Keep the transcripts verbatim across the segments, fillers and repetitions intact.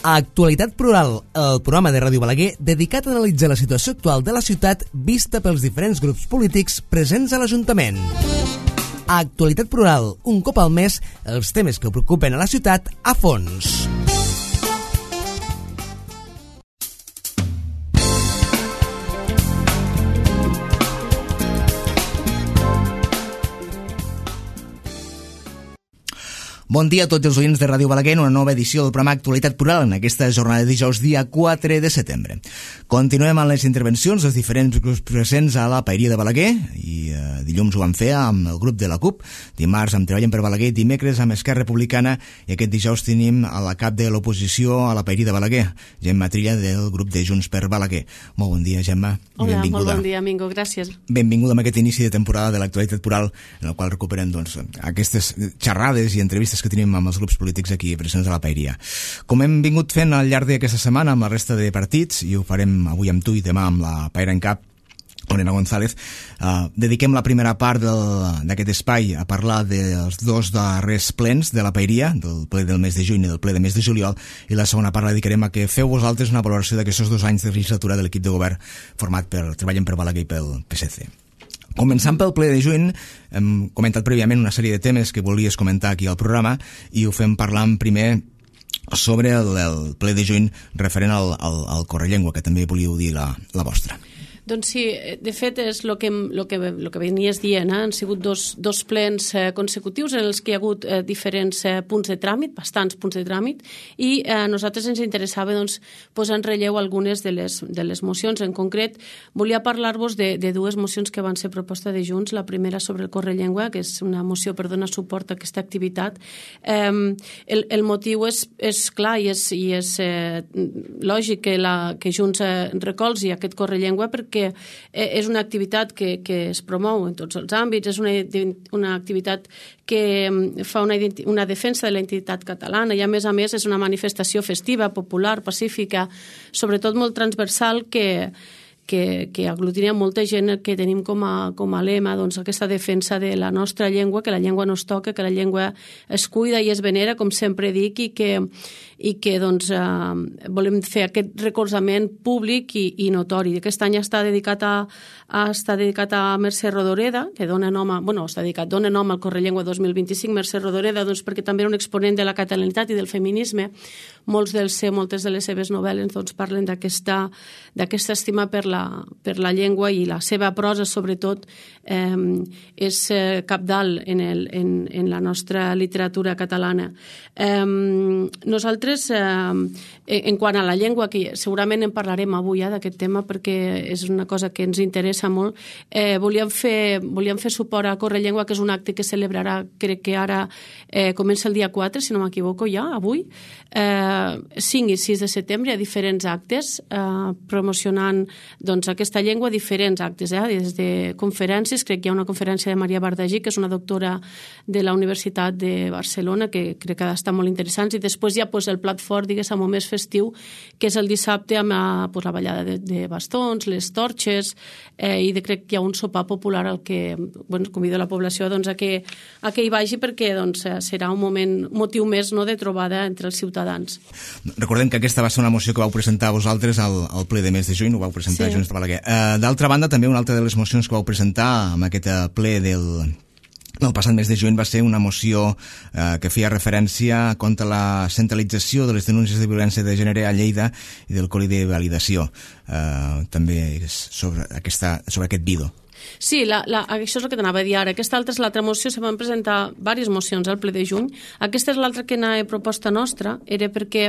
Actualitat Plural, el programa de Ràdio Balaguer dedicat a analitzar la situació actual de la ciutat vista pels diferents grups polítics presents a l'Ajuntament. Actualitat Plural, un cop al mes, els temes que preocupen a la ciutat a fons. Bon dia a tots els oients de Ràdio Balaguer en una nova edició del programa Actualitat Plural en aquesta jornada de dijous, dia quatre de setembre. Continuem amb les intervencions dels diferents grups presents a la Paeria de Balaguer i eh, dilluns ho vam fer amb el grup de la CUP, dimarts amb Treballen per Balaguer, dimecres amb Esquerra Republicana i aquest dijous tenim a la cap de l'oposició a la Paeria de Balaguer, Gemma Trilla del grup de Junts per Balaguer. Molt bon dia, Gemma. Hola, benvinguda. Molt bon dia, Mingo, gràcies. Benvinguda amb aquest inici de temporada de l'Actualitat Plural en el qual recuperem doncs, aquestes xerrades i entrevistes que tenim amb els grups polítics aquí presents a la Paeria. Com hem vingut fent al llarg d'aquesta setmana amb la resta de partits, i ho farem avui amb tu i demà amb la Paera en Cap, Lorena González, eh, dediquem la primera part d'aquest espai a parlar dels dos darrers plens de la Paeria, del ple del mes de juny i del ple del mes de juliol, i la segona part la dedicarem a que feu vosaltres una valoració d'aquests dos anys de legislatura de l'equip de govern format per Treballen per Balaguer i pel P S C. Començant pel ple de juny, hem comentat prèviament una sèrie de temes que volies comentar aquí al programa i ho fem parlant primer sobre el, el ple de juny referent al, al, al Correllengua, que també volíeu dir la, la vostra. Doncs sí, de fet és el que, lo que, lo que venies dient, eh? Han sigut dos, dos plens eh, consecutius en els que hi ha hagut eh, diferents eh, punts de tràmit, bastants punts de tràmit, i a eh, nosaltres ens interessava doncs, posar en relleu algunes de les, de les mocions. En concret, volia parlar-vos de, de dues mocions que van ser proposta de Junts. La primera sobre el Correllengua, que és una moció per donar suport a aquesta activitat. Eh, el, el motiu és, és clar i és, i és eh, lògic que, la, que Junts eh, recolzi aquest Correllengua perquè és una activitat que, que es promou en tots els àmbits, és una, una activitat que fa una, una defensa de la identitat catalana i a més a més és una manifestació festiva, popular, pacífica, sobretot molt transversal que que, que aglutina molta gent que tenim com a, com a lema doncs, aquesta defensa de la nostra llengua, que la llengua no es toca, que la llengua es cuida i es venera, com sempre dic, i que, i que doncs, eh, volem fer aquest recolzament públic i, i notori. Aquest any està dedicat a, a, està dedicat a Mercè Rodoreda, que dona nom a, bueno, està dedicat, dona nom al Correllengua dos mil vint-i-cinc, Mercè Rodoreda, doncs, perquè també era un exponent de la catalanitat i del feminisme. Molts dels, moltes de les seves novel·les doncs, parlen d'aquesta d'aquesta estima per la, per la llengua i la seva prosa, sobretot, eh, és eh, cabdal en, el, en, en la nostra literatura catalana. Eh, nosaltres, eh, en quant a la llengua, que segurament en parlarem avui eh, d'aquest tema perquè és una cosa que ens interessa molt, eh, volíem, fer, volíem fer suport a Correllengua, que és un acte que celebrarà, crec que ara eh, comença el dia quatre, si no m'equivoco ja, avui, eh, cinc i sis de setembre, hi ha diferents actes eh, promocionant doncs, aquesta llengua, diferents actes, eh? Des de conferències, crec que hi ha una conferència de Maria Bardagí, que és una doctora de la Universitat de Barcelona, que crec que ha d'estar molt interessants, i després hi ha pues, el plat fort, diguéssim, més festiu, que és el dissabte amb la, pues, la ballada de, de bastons, les torxes, eh, i de, crec que hi ha un sopar popular al que bueno, convido la població doncs, a, que, a que hi vagi perquè doncs, serà un moment, motiu més no, de trobada entre els ciutadans. Recordem que aquesta va ser una moció que vau presentar vosaltres al, al ple de mes de juny, ho vau presentar sí. Junts per Balaguer. Uh, D'altra banda, també una altra de les mocions que vau presentar amb aquest ple del, del passat mes de juny va ser una moció uh, que feia referència contra la centralització de les denúncies de violència de gènere a Lleida i del col·li de validació. Uh, també és sobre, aquesta, sobre aquest vido. Sí, la, la, això és el que t'anava a dir ara. Aquesta altra és l'altra moció, se van presentar diverses mocions al ple de juny. Aquesta és l'altra que anava proposta nostra, era perquè,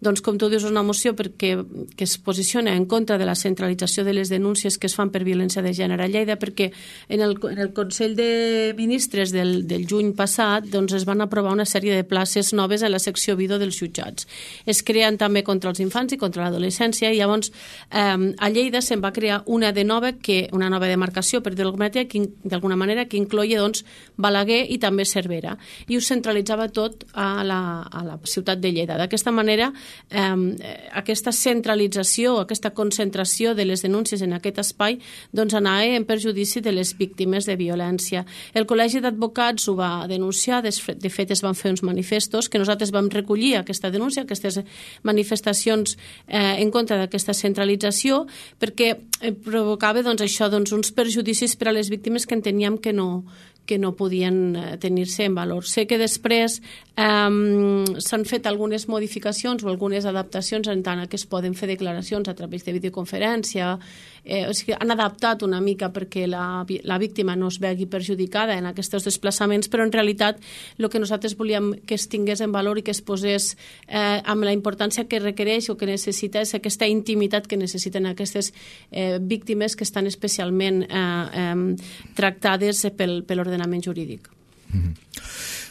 doncs, com tu dius, és una moció perquè, que es posiciona en contra de la centralització de les denúncies que es fan per violència de gènere a Lleida, perquè en el, en el Consell de Ministres del, del juny passat doncs, es van aprovar una sèrie de places noves en la secció Vido dels jutjats. Es creen també contra els infants i contra l'adolescència i llavors eh, a Lleida se'n va crear una de nova, que, una nova demarcació legislació, per d'alguna manera, que incloia doncs, Balaguer i també Cervera, i ho centralitzava tot a la, a la ciutat de Lleida. D'aquesta manera, eh, aquesta centralització, aquesta concentració de les denúncies en aquest espai doncs, anava en perjudici de les víctimes de violència. El Col·legi d'Advocats ho va denunciar, de fet es van fer uns manifestos que nosaltres vam recollir aquesta denúncia, aquestes manifestacions eh, en contra d'aquesta centralització, perquè eh, provocava doncs, això, doncs, uns perjudicis per a les víctimes que enteníem que no, que no podien tenir-se en valor. Sé que després eh, s'han fet algunes modificacions o algunes adaptacions en tant que es poden fer declaracions a través de videoconferència, eh, o sigui, han adaptat una mica perquè la, la víctima no es vegi perjudicada en aquests desplaçaments, però en realitat el que nosaltres volíem que es tingués en valor i que es posés eh, amb la importància que requereix o que necessita és aquesta intimitat que necessiten aquestes eh, víctimes que estan especialment eh, eh, tractades pel, per l'ordenament jurídic. Mm-hmm.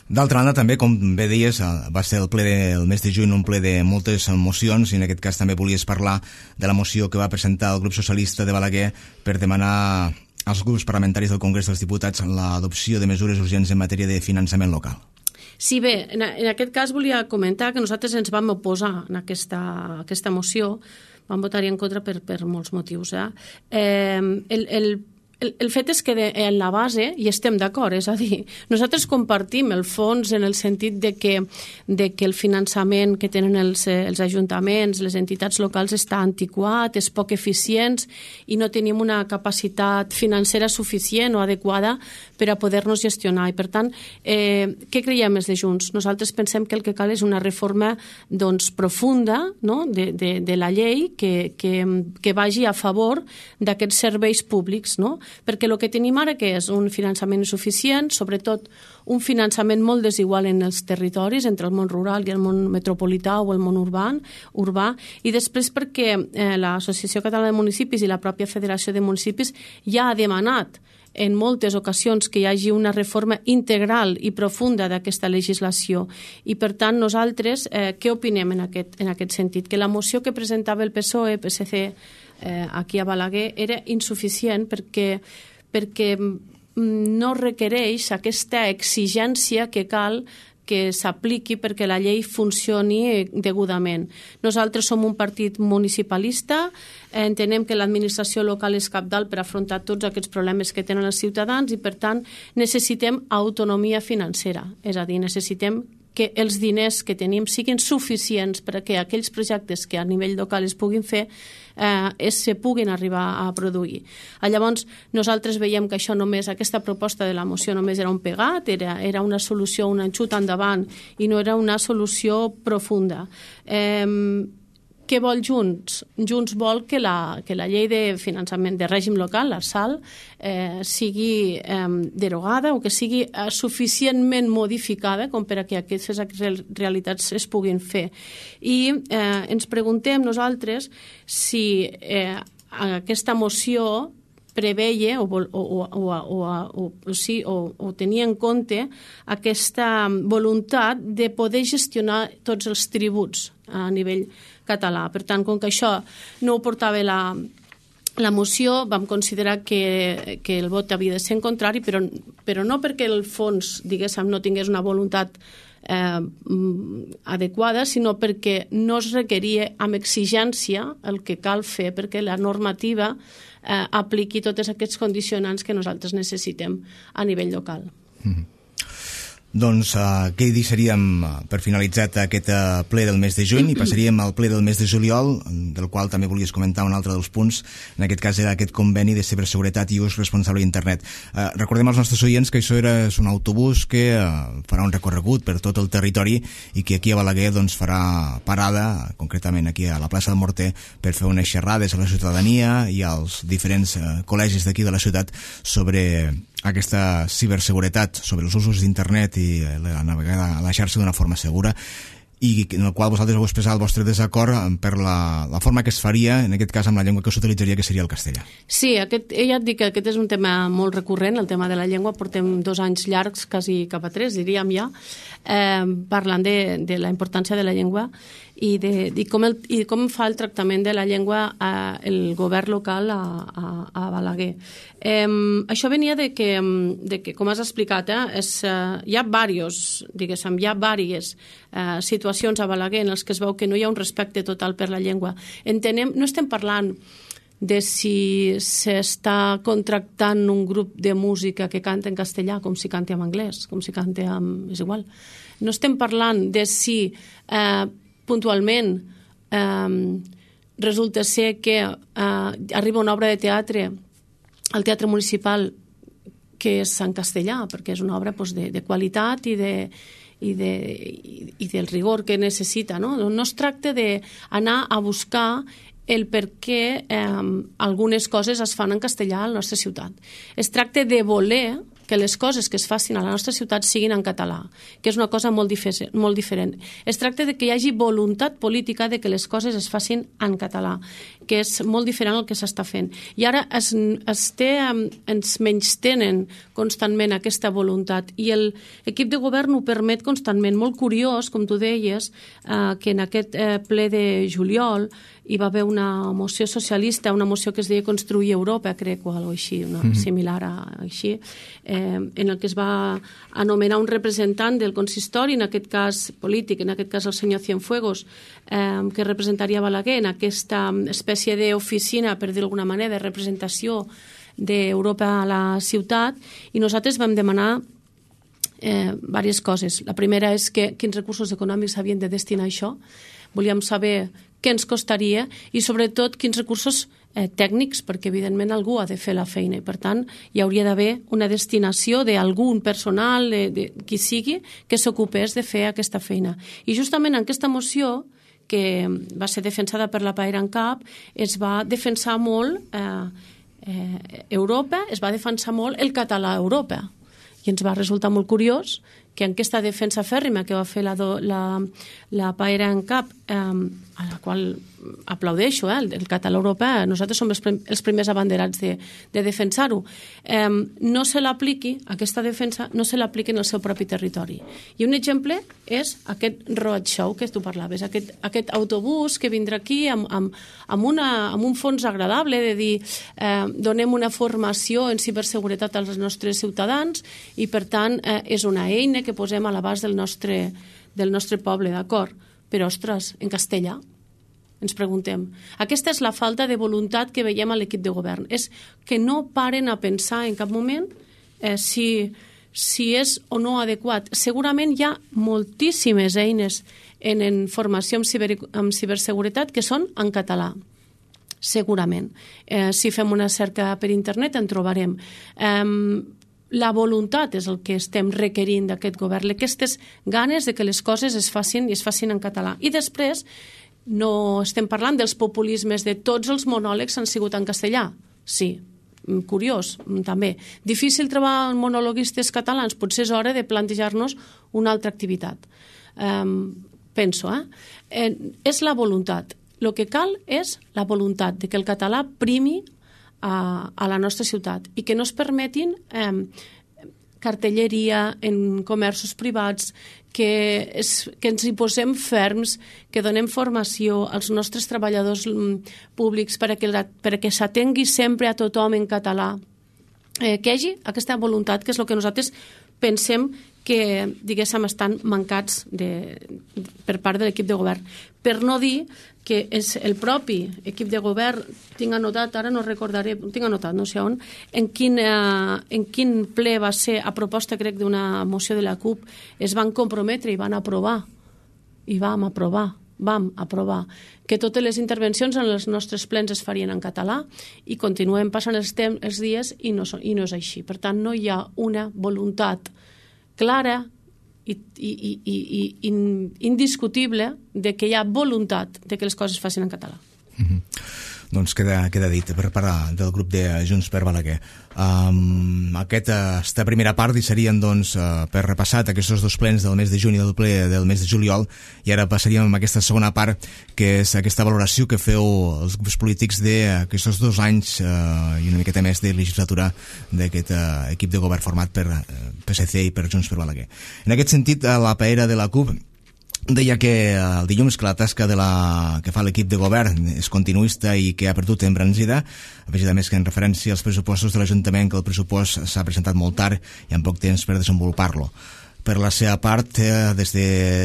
D'altra banda, també, com bé deies, va ser el ple del mes de juny un ple de moltes mocions, i en aquest cas també volies parlar de la moció que va presentar el grup socialista de Balaguer per demanar als grups parlamentaris del Congrés dels Diputats l'adopció de mesures urgents en matèria de finançament local. Sí, bé, en, en aquest cas volia comentar que nosaltres ens vam oposar en aquesta, aquesta moció, vam votar-hi en contra per, per molts motius. Eh? Eh, el, el El, el fet és que de, en la base hi estem d'acord, és a dir, nosaltres compartim el fons en el sentit de que, de que el finançament que tenen els, els ajuntaments, les entitats locals està antiquat, és poc eficient i no tenim una capacitat financera suficient o adequada per a poder-nos gestionar. I per tant, eh, què creiem des de Junts? Nosaltres pensem que el que cal és una reforma doncs, profunda, no? de, de, de la llei que, que, que vagi a favor d'aquests serveis públics, no? Perquè el que tenim ara que és un finançament insuficient, sobretot un finançament molt desigual en els territoris, entre el món rural i el món metropolità o el món urbà, urbà i després perquè eh, l'Associació Catalana de Municipis i la pròpia Federació de Municipis ja ha demanat en moltes ocasions que hi hagi una reforma integral i profunda d'aquesta legislació. I, per tant, nosaltres eh, què opinem en aquest, en aquest sentit? Que la moció que presentava el P S O E, P S C, eh, aquí a Balaguer, era insuficient perquè, perquè no requereix aquesta exigència que cal que s'apliqui perquè la llei funcioni degudament. Nosaltres som un partit municipalista, entenem que l'administració local és cabdal per afrontar tots aquests problemes que tenen els ciutadans i, per tant, necessitem autonomia financera, és a dir, necessitem que els diners que tenim siguin suficients perquè aquells projectes que a nivell local es puguin fer eh, es se puguin arribar a produir. Llavors, nosaltres veiem que això només, aquesta proposta de la moció només era un pegat, era, era una solució, un enxut endavant i no era una solució profunda. Eh, Què vol Junts? Junts vol que la, que la llei de finançament de règim local, l'Arsal, eh, sigui eh, derogada o que sigui eh, suficientment modificada com per a que aquestes realitats es puguin fer. I eh, ens preguntem nosaltres si eh, aquesta moció preveia o, o, o, o, o, o, sí, o, o tenia en compte aquesta voluntat de poder gestionar tots els tributs a nivell català. Per tant, com que això no ho portava la, la moció, vam considerar que, que el vot havia de ser en contrari, però, però no perquè el fons, diguéssim, no tingués una voluntat eh, adequada, sinó perquè no es requeria amb exigència el que cal fer perquè la normativa eh, apliqui tots aquests condicionants que nosaltres necessitem a nivell local. Mm-hmm. Doncs uh, què deixaríem per finalitzat aquest uh, ple del mes de juny i passaríem al ple del mes de juliol, del qual també volies comentar un altre dels punts. En aquest cas era aquest conveni de ciberseguretat i ús responsable d'internet. Uh, recordem als nostres oients que això era un autobús que uh, farà un recorregut per tot el territori i que aquí a Balaguer doncs, farà parada, concretament aquí a la plaça del Morter, per fer unes xerrades a la ciutadania i als diferents uh, col·legis d'aquí de la ciutat sobre aquesta ciberseguretat, sobre els usos d'internet i la navegada a la xarxa d'una forma segura. i en el qual vosaltres heu expressat el vostre desacord per la, la forma que es faria, en aquest cas amb la llengua que s'utilitzaria, que seria el castellà. Sí, aquest, ja et dic que aquest és un tema molt recurrent, el tema de la llengua. Portem dos anys llargs, quasi cap a tres, diríem ja, eh, parlant de, de la importància de la llengua i, de, i, com el, i com fa el tractament de la llengua eh, el govern local a, a, a Balaguer. Eh, això venia de que, de que, com has explicat, eh, és, eh, hi ha diversos, diguéssim, hi ha diverses eh, situacions a Balaguer en les que es veu que no hi ha un respecte total per la llengua. Entenem, no estem parlant de si s'està contractant un grup de música que canta en castellà com si canta en anglès, com si canta en... és igual. No estem parlant de si eh, puntualment eh, resulta ser que eh, arriba una obra de teatre al Teatre Municipal que és en castellà, perquè és una obra pues, de, de qualitat i de i, de, i, i del rigor que necessita. No, no es tracta d'anar a buscar el per què eh, algunes coses es fan en castellà a la nostra ciutat. Es tracta de voler que les coses que es facin a la nostra ciutat siguin en català, que és una cosa molt, dife- molt diferent. Es tracta de que hi hagi voluntat política de que les coses es facin en català, que és molt diferent del que s'està fent. I ara es, es té, ens menystenen constantment aquesta voluntat i l'equip de govern ho permet constantment. Molt curiós, com tu deies, eh, que en aquest eh, ple de juliol hi va haver una moció socialista, una moció que es deia Construir Europa, crec, o alguna cosa així, una mm-hmm. similar a així, eh, en el que es va anomenar un representant del consistori, en aquest cas polític, en aquest cas el senyor Cienfuegos, eh, que representaria Balaguer en aquesta espècie d'oficina, per dir d'alguna manera, de representació d'Europa a la ciutat, i nosaltres vam demanar eh, diverses coses. La primera és que quins recursos econòmics havien de destinar a això. Volíem saber què ens costaria i, sobretot, quins recursos eh, tècnics, perquè, evidentment, algú ha de fer la feina i, per tant, hi hauria d'haver una destinació d'algun personal, de, de qui sigui, que s'ocupés de fer aquesta feina. I, justament, en aquesta moció, que va ser defensada per la PAERANCAP, es va defensar molt eh, eh, Europa, es va defensar molt el català a Europa. I ens va resultar molt curiós que en aquesta defensa fèrrima que va fer la, la, la PAERANCAP, eh, a la qual aplaudeixo, eh, el, el català europeu, nosaltres som els, prim, els primers abanderats de, de defensar-ho, eh, no se l'apliqui, aquesta defensa, no se l'apliqui en el seu propi territori. I un exemple és aquest roadshow que tu parlaves, aquest, aquest autobús que vindrà aquí amb, amb, amb, una, amb un fons agradable de dir eh, donem una formació en ciberseguretat als nostres ciutadans i, per tant, eh, és una eina que posem a l'abast del nostre, del nostre poble, d'acord? Però, ostres, en castellà, ens preguntem. Aquesta és la falta de voluntat que veiem a l'equip de govern. És que no paren a pensar en cap moment eh, si, si és o no adequat. Segurament hi ha moltíssimes eines en, en formació en, ciber, en ciberseguretat que són en català. Segurament. Eh, si fem una cerca per internet en trobarem. Eh, La voluntat és el que estem requerint d'aquest govern, aquestes ganes de que les coses es facin i es facin en català. I després no estem parlant dels populismes de tots els monòlegs han sigut en castellà. Sí, curiós, també. Difícil trobar monologuistes catalans, potser és hora de plantejar-nos una altra activitat. Um, penso, eh? eh? És la voluntat. El que cal és la voluntat de que el català primi a, a la nostra ciutat i que no es permetin eh, cartelleria en comerços privats, que, es, que ens hi posem ferms, que donem formació als nostres treballadors públics per a que, per a que s'atengui sempre a tothom en català. Eh, que hi hagi aquesta voluntat, que és el que nosaltres pensem que, diguéssim, estan mancats de, per part de l'equip de govern. Per no dir que és el propi equip de govern, tinc anotat, ara no recordaré, tinc anotat, no sé on, en quin, eh, en quin ple va ser, a proposta, crec, d'una moció de la CUP, es van comprometre i van aprovar, i vam aprovar, vam aprovar, que totes les intervencions en els nostres plens es farien en català i continuem passant els, temps, els dies i no, i no és així. Per tant, no hi ha una voluntat clara i, i, i, i, i indiscutible de que hi ha voluntat de que les coses es facin en català. Mm-hmm. doncs queda, queda dit per part del grup de Junts per Balaguer. Um, aquesta primera part serien doncs, uh, per repassat aquests dos plens del mes de juny i del ple del mes de juliol, i ara passaríem a aquesta segona part, que és aquesta valoració que feu els grups polítics d'aquests dos anys uh, i una miqueta més de legislatura d'aquest uh, equip de govern format per uh, P S C i per Junts per Balaguer. En aquest sentit, la paera de la C U P deia que el dilluns que la tasca de la, que fa l'equip de govern és continuista i que ha perdut embranzida, afegida més que en referència als pressupostos de l'Ajuntament, que el pressupost s'ha presentat molt tard i amb poc temps per desenvolupar-lo. Per la seva part, eh, des de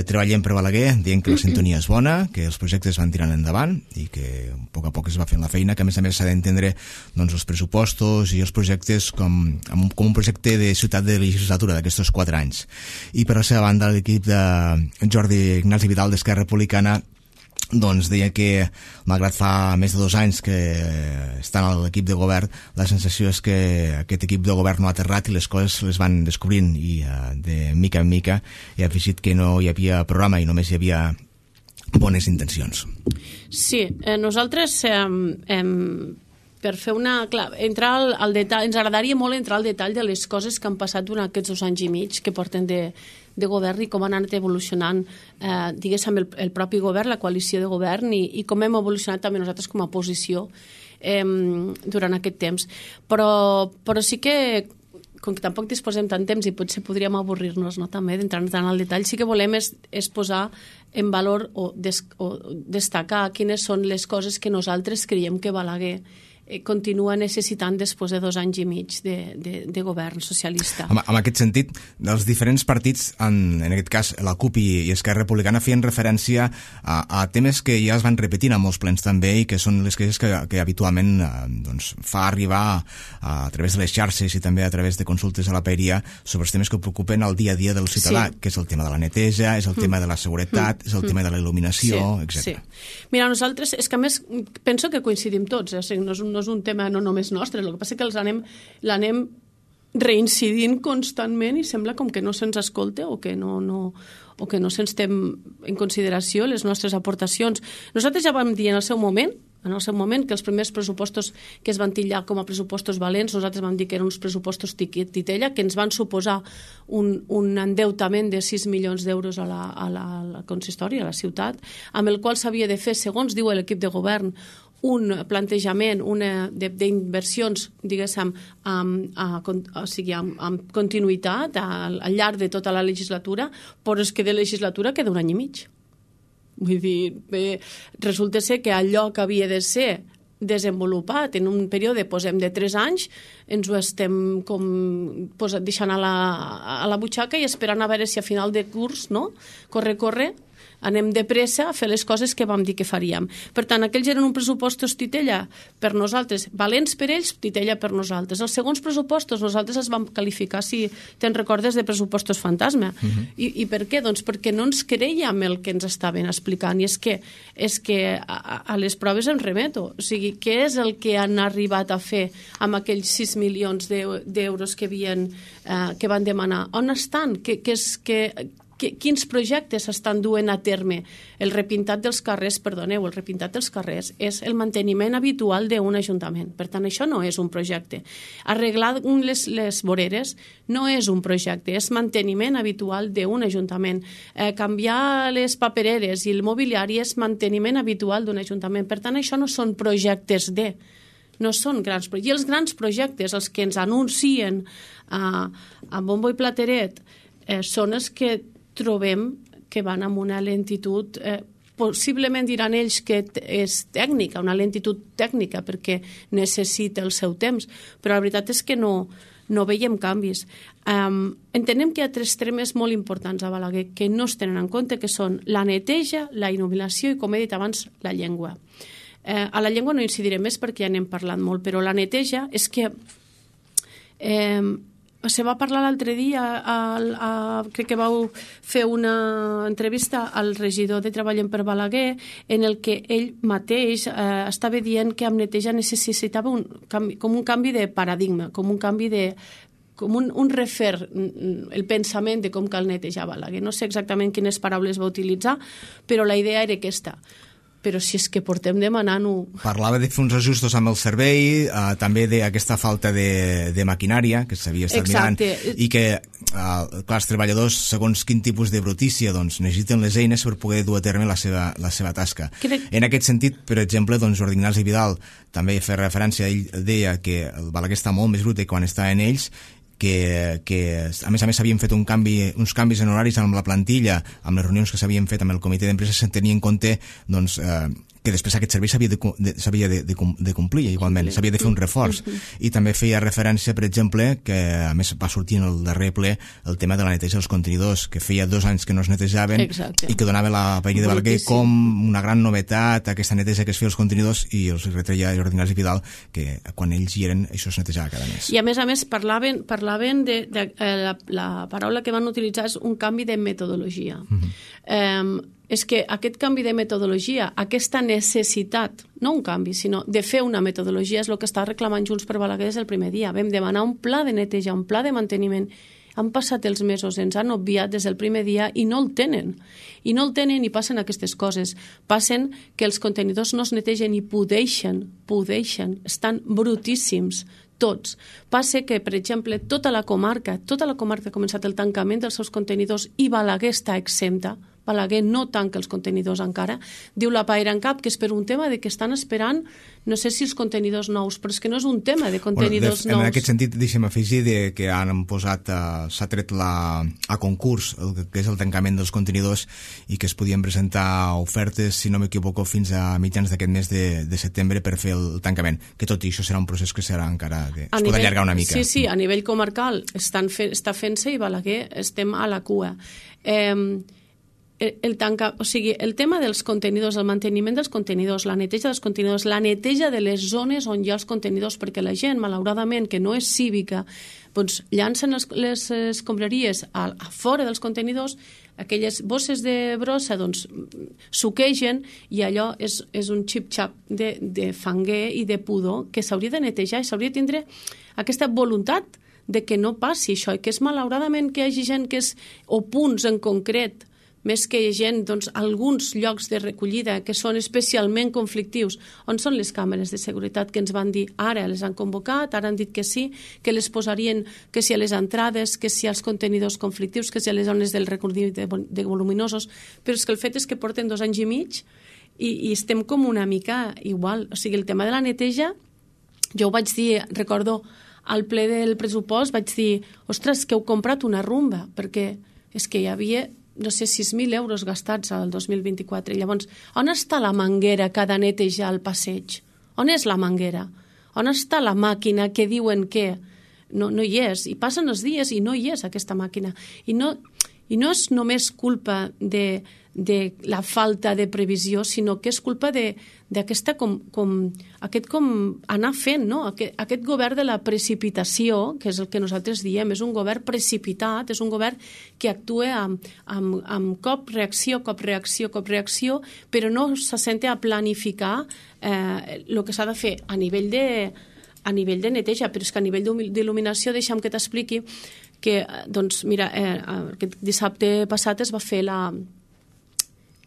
Treballem per Balaguer, dient que la sintonia és bona, que els projectes van tirant endavant i que a poc a poc es va fent la feina, que a més a més s'ha d'entendre doncs, els pressupostos i els projectes com, com un projecte de ciutat de legislatura d'aquests quatre anys. I per la seva banda, l'equip de Jordi Ignasi Vidal d'Esquerra Republicana doncs deia que, malgrat fa més de dos anys que estan a l'equip de govern, la sensació és que aquest equip de govern no ha aterrat i les coses les van descobrint i uh, de mica en mica he afegit que no hi havia programa i només hi havia bones intencions. Sí, eh, nosaltres eh, eh, per fer una... Clar, entrar al, al detall, ens agradaria molt entrar al detall de les coses que han passat durant aquests dos anys i mig que porten de, de govern i com han anat evolucionant, eh, diguéssim, el, el propi govern, la coalició de govern i, i com hem evolucionat també nosaltres com a oposició eh, durant aquest temps. Però, però sí que, com que tampoc disposem tant temps i potser podríem avorrir-nos, no, també d'entrar tant al detall, sí que volem és, és posar en valor o, des, o destacar quines són les coses que nosaltres creiem que Balaguer continua necessitant després de dos anys i mig de, de, de govern socialista. En, en aquest sentit, els diferents partits, en, en aquest cas la C U P i, i Esquerra Republicana, feien referència a, a temes que ja es van repetint a molts plens també i que són les queixes que, que habitualment eh, doncs, fa arribar a, a través de les xarxes i també a través de consultes a la paeria sobre els temes que preocupen el dia a dia del ciutadà, sí. Que és el tema de la neteja, és el mm. tema de la seguretat, mm. és el mm. tema de la il·luminació, sí. etcètera. Sí. Mira, nosaltres, és que a més penso que coincidim tots, eh? O sigui, no és un no és un tema no només nostre, el que passa que els anem, l'anem reincidint constantment i sembla com que no se'ns escolta o que no, no, o que no se'ns té en consideració les nostres aportacions. Nosaltres ja vam dir en el seu moment en el seu moment que els primers pressupostos que es van titllar com a pressupostos valents, nosaltres vam dir que eren uns pressupostos titella, que ens van suposar un, un endeutament de sis milions d'euros a la, a, la, a la consistori, a la ciutat, amb el qual s'havia de fer, segons diu l'equip de govern, un plantejament d'inversions, diguéssim, amb, a, o sigui, amb, amb continuïtat al, al llarg de tota la legislatura, però és que de legislatura queda un any i mig. Vull dir, bé, resulta ser que allò que havia de ser desenvolupat en un període, posem, de tres anys, ens ho estem com posat, deixant a la, a la butxaca i esperant a veure si a final de curs, no? Corre, corre, anem de pressa a fer les coses que vam dir que faríem. Per tant, aquells eren un pressupostos titella per nosaltres, valents per ells, titella per nosaltres. Els segons pressupostos nosaltres els vam qualificar, si te'n recordes, de pressupostos fantasma. Uh-huh. I, I per què? Doncs perquè no ens creiem el que ens estaven explicant i és que, és que a, a les proves em remeto. O sigui, què és el que han arribat a fer amb aquells sis milions d'euros que, havien, eh, que van demanar? On estan? Que, que és, que, quins projectes s'estan duent a terme? El repintat dels carrers, perdoneu, el repintat dels carrers és el manteniment habitual d'un ajuntament. Per tant, això no és un projecte. Arreglar les, les voreres no és un projecte, és manteniment habitual d'un ajuntament. Eh, canviar les papereres i el mobiliari és manteniment habitual d'un ajuntament. Per tant, això no són projectes de... No són grans projectes. I els grans projectes, els que ens anuncien a, a bombo i plateret, eh, són els que trobem que van amb una lentitud, eh, possiblement diran ells que és tècnica, una lentitud tècnica perquè necessita el seu temps, però la veritat és que no, no veiem canvis. Um, entenem que hi ha tres temes molt importants a Balaguer que no es tenen en compte, que són la neteja, la il·luminació i, com he dit abans, la llengua. Eh, a la llengua no incidiré més perquè ja n'hem parlat molt, però la neteja és que eh, se va parlar l'altre dia, a, a, crec que vau fer una entrevista al regidor de Treballem per Balaguer en el que ell mateix eh, estava dient que amb neteja necessitava un canvi, com un canvi de paradigma, com un canvi de com un, un refer el pensament de com cal netejar Balaguer. No sé exactament quines paraules va utilitzar, però la idea era aquesta. però si és que portem demanant-ho... Parlava de fer uns ajustos amb el servei, eh, també d'aquesta falta de, de maquinària que s'havia estat Exacte. mirant, i que, eh, clar, els treballadors, segons quin tipus de brutícia, doncs, necessiten les eines per poder dur a terme la seva, la seva tasca. Crec... En aquest sentit, per exemple, doncs, Jordi Ignasi Vidal també feia referència, ell deia que el Balaguer està molt més brut quan està en ells, que, que a més a més s'havien fet un canvi, uns canvis en horaris amb la plantilla, amb les reunions que s'havien fet amb el comitè d'empresa, se'n tenia en compte doncs, eh, que després aquest servei s'havia de, de, s'havia de, de, de complir igualment, s'havia de fer un reforç. I també feia referència, per exemple, que a més va sortir en el darrer ple el tema de la neteja dels contenidors, que feia dos anys que no es netejaven. Exacte. I que donava la paella de Balaguer com una gran novetat, aquesta neteja que es feia als contenidors, i els retreia Jordi Ignasi Vidal que quan ells hi eren això es netejava cada mes. I a més a més parlaven, parlaven de, de, de la, la paraula que van utilitzar és un canvi de metodologia. Mm-hmm. eh, és que aquest canvi de metodologia, aquesta necessitat, no un canvi, sinó de fer una metodologia, és el que està reclamant Junts per Balaguer des del primer dia. Vam demanar un pla de neteja, un pla de manteniment. Han passat els mesos, ens han obviat des del primer dia i no el tenen. I no el tenen i passen aquestes coses. Passen que els contenidors no es netegen i pudeixen, pudeixen, estan brutíssims, tots. Passa que, per exemple, tota la comarca, tota la comarca ha començat el tancament dels seus contenidors i Balaguer està exempta. Balaguer no tanca els contenidors encara. Diu la Paira en Cap que és per un tema de que estan esperant, no sé si els contenidors nous, però és que no és un tema de contenidors bueno, de, nous. En aquest sentit, deixem afegir de que han posat, uh, s'ha tret la, a concurs el que és el tancament dels contenidors i que es podien presentar ofertes, si no m'equivoco, fins a mitjans d'aquest mes de, de setembre per fer el tancament, que tot i això serà un procés que serà encara de, es pot nivell, allargar una mica. Sí, sí, a nivell comarcal estan fe, està fent-se i Balaguer estem a la cua. Eh, El, el, tanca, o sigui, el tema dels contenidors, el manteniment dels contenidors, la neteja dels contenidors, la neteja de les zones on hi ha els contenidors, perquè la gent, malauradament, que no és cívica, doncs llancen les, les escombraries a, a fora dels contenidors, aquelles bosses de brossa doncs suquegen i allò és, és un xip-xap de, de fanguer i de pudor que s'hauria de netejar i s'hauria de tindre aquesta voluntat de que no passi això i que és malauradament que hi hagi gent que és, o punts en concret, més que gent, doncs, alguns llocs de recollida que són especialment conflictius. On són les càmeres de seguretat que ens van dir ara les han convocat, ara han dit que sí, que les posarien, que si a les entrades, que si als contenidors conflictius, que si a les zones del recorrigut de, de voluminosos, però és que el fet és que porten dos anys i mig i, i estem com una mica igual. O sigui, el tema de la neteja, jo ho vaig dir, recordo, al ple del pressupost vaig dir, ostres, que heu comprat una rumba, perquè és que hi havia no sé, sis mil euros gastats al dos mil vint-i-quatre. Llavors, on està la manguera que ha de netejar el passeig? On és la manguera? On està la màquina que diuen que no, no hi és? I passen els dies i no hi és aquesta màquina. I no, i no és només culpa de, de la falta de previsió, sinó que és culpa de d'aquesta com, com, aquest com anar fent, no? Aquest, aquest govern de la precipitació, que és el que nosaltres diem, és un govern precipitat, és un govern que actua amb, amb, amb cop reacció, cop reacció, cop reacció, però no s'assenta a planificar eh, el que s'ha de fer a nivell de, a nivell de neteja, però és que a nivell d'il·luminació deixa'm que t'expliqui que, doncs, mira, eh, aquest dissabte passat es va fer la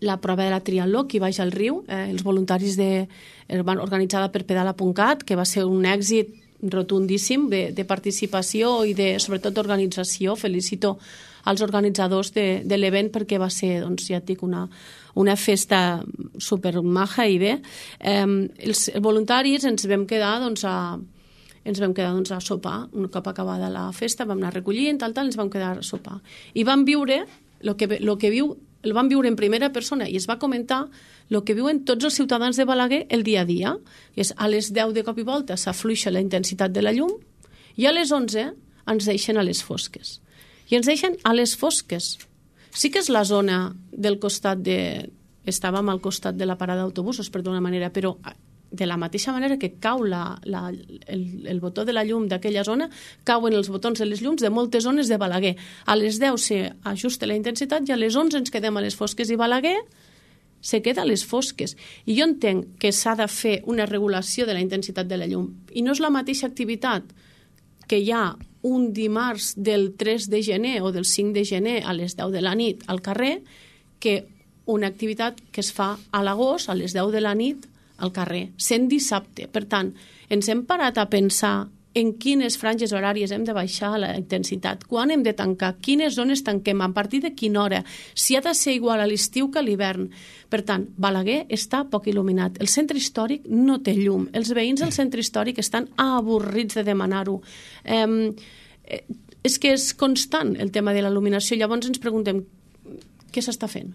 la prova de la triatló aquí baix al riu, eh, els voluntaris de, van organitzada per pedala punt cat, que va ser un èxit rotundíssim de, de participació i de, sobretot d'organització. Felicito als organitzadors de, de l'event perquè va ser, doncs, ja et dic, una, una festa supermaja i bé. Eh, els voluntaris ens vam quedar, doncs, a ens vam quedar doncs, a sopar. Un cop acabada la festa vam anar recollint, tal, tal, ens vam quedar a sopar. I vam viure el que, lo que viu el van viure en primera persona i es va comentar el que viuen tots els ciutadans de Balaguer el dia a dia. És a les deu de cop i volta s'afluixa la intensitat de la llum i a les onze ens deixen a les fosques. I ens deixen a les fosques. Sí que és la zona del costat de... Estàvem al costat de la parada d'autobusos, per d'una manera, però de la mateixa manera que cau la, la, el, el botó de la llum d'aquella zona, cauen els botons de les llums de moltes zones de Balaguer. A les deu s'ajusta la intensitat i a les onze ens quedem a les fosques i Balaguer se queda a les fosques. I jo entenc que s'ha de fer una regulació de la intensitat de la llum. I no és la mateixa activitat que hi ha un dimarts del tres de gener o del cinc de gener a les deu de la nit al carrer que una activitat que es fa a l'agost, a les deu de la nit, al carrer, sent dissabte. Per tant, ens hem parat a pensar en quines franges horàries hem de baixar la intensitat, quan hem de tancar, quines zones tanquem, a partir de quina hora, si ha de ser igual a l'estiu que a l'hivern. Per tant, Balaguer està poc il·luminat. El centre històric no té llum. Els veïns del centre històric estan avorrits de demanar-ho. Eh, és que és constant el tema de la il·luminació. Llavors ens preguntem què s'està fent?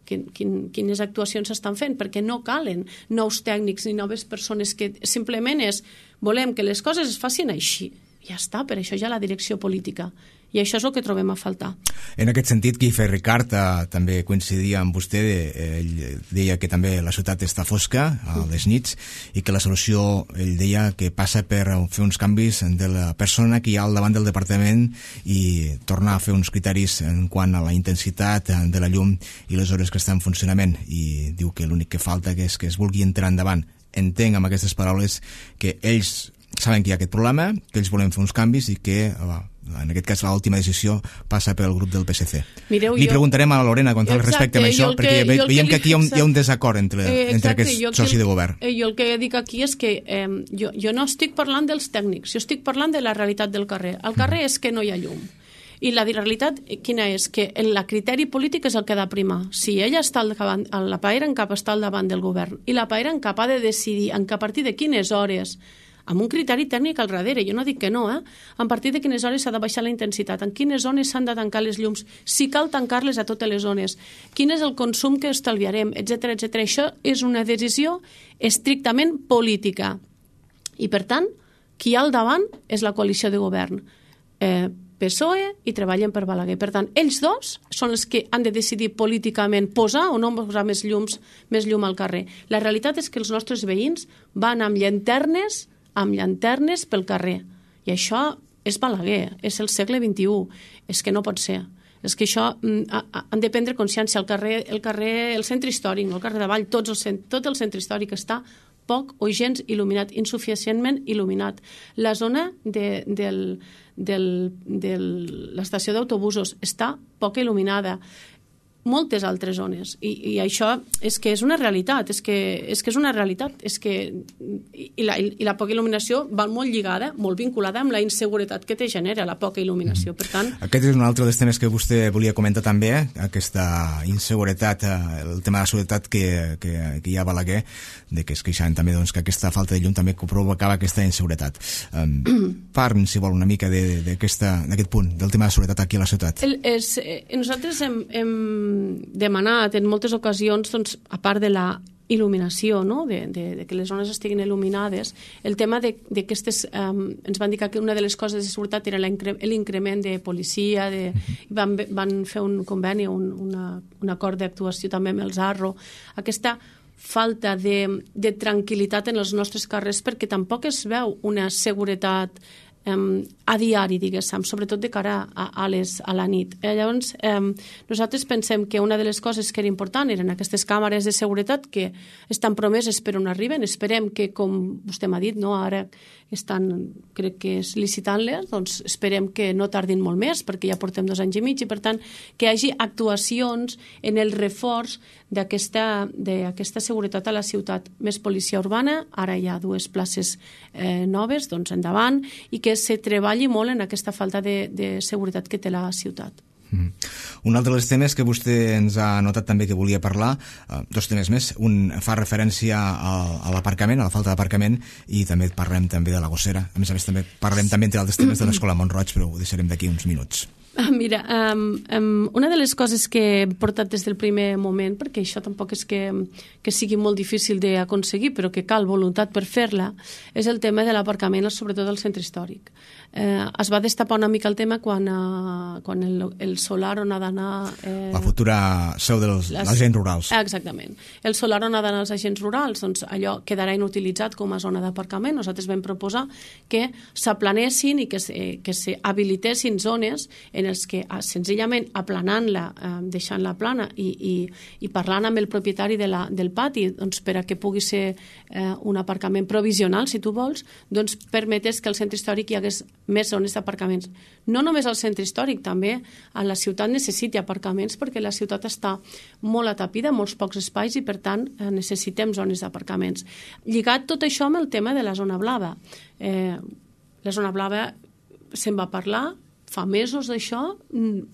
Quin, quin, quines actuacions s'estan fent, perquè no calen nous tècnics ni noves persones, que simplement és volem que les coses es facin així. Ja està, per això hi ha la direcció política. I això és el que trobem a faltar. En aquest sentit, Guifé Ricard eh, també coincidia amb vostè. Eh, ell deia que també la ciutat està fosca a les nits i que la solució, ell deia, que passa per fer uns canvis de la persona que hi ha al davant del departament i tornar a fer uns criteris en quant a la intensitat de la llum i les hores que està en funcionament. I diu que l'únic que falta és que es vulgui entrar endavant. Entenc amb aquestes paraules que ells saben que hi ha aquest problema, que ells volen fer uns canvis i que, en aquest cas, l'última decisió passa pel grup del P S C. Mireu, Li jo... preguntarem a la Lorena quan exacte, respecte a això, perquè que, veiem que aquí hi ha un, hi ha un desacord entre, eh, exacte, entre aquests socis de govern. Eh, jo el que dic aquí és que eh, jo, jo no estic parlant dels tècnics, jo estic parlant de la realitat del carrer. El carrer mm. és que no hi ha llum. I la realitat quina és? Que el criteri polític és el que ha de primar. Si ella està al davant, la paera en cap està al davant del govern i la paera en cap ha de decidir en a partir de quines hores, amb un criteri tècnic al darrere, jo no dic que no, eh? A partir de quines hores s'ha de baixar la intensitat, en quines zones s'han de tancar les llums, si cal tancar-les a totes les zones, quin és el consum que estalviarem, etcètera, etcètera. Això és una decisió estrictament política. I, per tant, qui hi ha al davant és la coalició de govern. Eh, P S O E i treballen per Balaguer. Per tant, ells dos són els que han de decidir políticament posar o no posar més llums, més llum al carrer. La realitat és que els nostres veïns van amb llanternes amb llanternes pel carrer. I això és Balaguer, és el segle vint-i-u. És que no pot ser. És que això han de prendre consciència. El carrer, el carrer, el centre històric, el carrer de Vall, tots el, tot el centre històric està poc o gens il·luminat, insuficientment il·luminat. La zona de, del, del, de l'estació d'autobusos està poc il·luminada. Moltes altres zones. I, i això és que és una realitat, és que és, que és una realitat, és que i la, i la poca il·luminació va molt lligada, molt vinculada amb la inseguretat que te genera la poca il·luminació. Per tant... Aquest és un altre dels temes que vostè volia comentar també, aquesta inseguretat, el tema de la seguretat que, que, que hi ha a Balaguer, de que es queixaven també doncs, que aquesta falta de llum també provocava aquesta inseguretat. Um, Parlem, si vol, una mica d'aquest punt, del tema de la seguretat aquí a la ciutat. El, és, eh, nosaltres hem, hem demanat en moltes ocasions, doncs, a part de la il·luminació, no? de, de, de que les zones estiguin il·luminades, el tema d'aquestes, um, ens van dir que una de les coses de seguretat era l'increment de policia, de, van, van fer un conveni, un, una, un acord d'actuació també amb el Zarro, aquesta falta de, de tranquil·litat en els nostres carrers, perquè tampoc es veu una seguretat Um, a diari, diguéssim, sobretot de cara a, a, les, a la nit. Eh, llavors, um, nosaltres pensem que una de les coses que era important eren aquestes càmeres de seguretat que estan promeses però no arriben. Esperem que, com vostè m'ha dit, no, ara estan, crec que és licitant-les, doncs esperem que no tardin molt més, perquè ja portem dos anys i mig, i per tant que hi hagi actuacions en el reforç d'aquesta d'aquesta seguretat a la ciutat. Més policia urbana, ara hi ha dues places eh, noves, doncs endavant, i que se treballi molt en aquesta falta de, de seguretat que té la ciutat. Mm. Un altre dels temes que vostè ens ha notat també que volia parlar, eh, dos temes més, un fa referència a, a l'aparcament, a la falta d'aparcament, i també parlem també de la gossera. A més a més també parlem també entre altres temes de l'Escola Mont-roig, però ho deixarem d'aquí uns minuts. Mira, um, um, una de les coses que he portat des del primer moment, perquè això tampoc és que, que sigui molt difícil d'aconseguir, però que cal voluntat per fer-la, és el tema de l'aparcament, sobretot al centre històric. Eh, es va destapar una mica el tema quan, uh, quan el, el solar on ha d'anar... Eh, la futura seu dels les, agents rurals. Exactament. El solar on ha d'anar els agents rurals, doncs allò quedarà inutilitzat com a zona d'aparcament. Nosaltres vam proposar que s'aplanessin i que, se, que se habilitessin zones en en els que senzillament aplanant-la, eh, deixant-la plana i, i, i parlant amb el propietari de la, del pati doncs, per a que pugui ser eh, un aparcament provisional, si tu vols, doncs permetés que al centre històric hi hagués més zones d'aparcaments. No només al centre històric, també a la ciutat necessiti aparcaments perquè la ciutat està molt atapida, molts pocs espais i per tant eh, necessitem zones d'aparcaments. Lligat tot això amb el tema de la zona blava. Eh, la zona blava se'n va parlar, fa mesos d'això,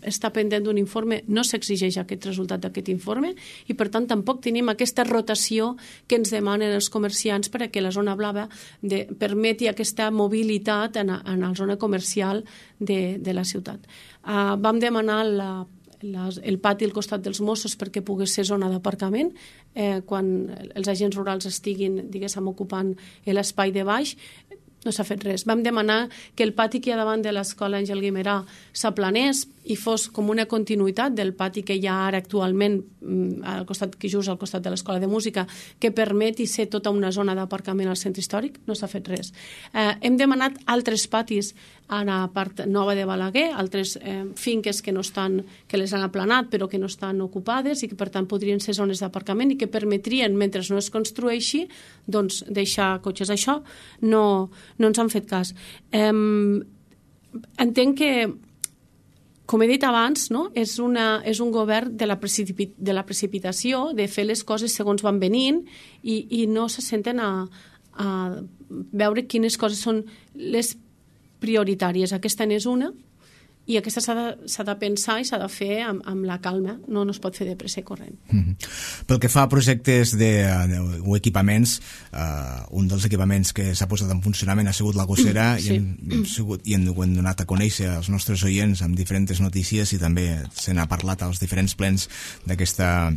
està pendent d'un informe, no s'exigeix aquest resultat d'aquest informe i per tant tampoc tenim aquesta rotació que ens demanen els comerciants per a que la zona blava de, permeti aquesta mobilitat en, en la zona comercial de, de la ciutat. Uh, vam demanar la Les, el pati al costat dels Mossos perquè pogués ser zona d'aparcament eh, quan els agents rurals estiguin, diguéssim, ocupant l'espai de baix. No s'ha fet res. Vam demanar que el pati que hi ha davant de l'escola Àngel Guimerà s'aplanés i fos com una continuïtat del pati que hi ha ara actualment al costat, que just al costat de l'escola de música, que permeti ser tota una zona d'aparcament al centre històric. No s'ha fet res. Eh, hem demanat altres patis a la part nova de Balaguer, altres eh, finques que no estan, que les han aplanat però que no estan ocupades i que per tant podrien ser zones d'aparcament i que permetrien, mentre no es construeixi, doncs deixar cotxes. Això no, no ens han fet cas. Eh, entenc que, com he dit abans, no? és, una, és un govern de la, precipit, de la precipitació, de fer les coses segons van venint i, i no se senten a, a veure quines coses són les prioritàries. Aquesta n'és una i aquesta s'ha de, s'ha de pensar i s'ha de fer amb, amb la calma, no, no es pot fer de pressa i corrent. Mm-hmm. Pel que fa a projectes de, de, o equipaments, uh, un dels equipaments que s'ha posat en funcionament ha sigut la gossera sí. i, hem, hem sigut, i hem, ho hem donat a conèixer als nostres oients amb diferents notícies i també se n'ha parlat als diferents plens d'aquesta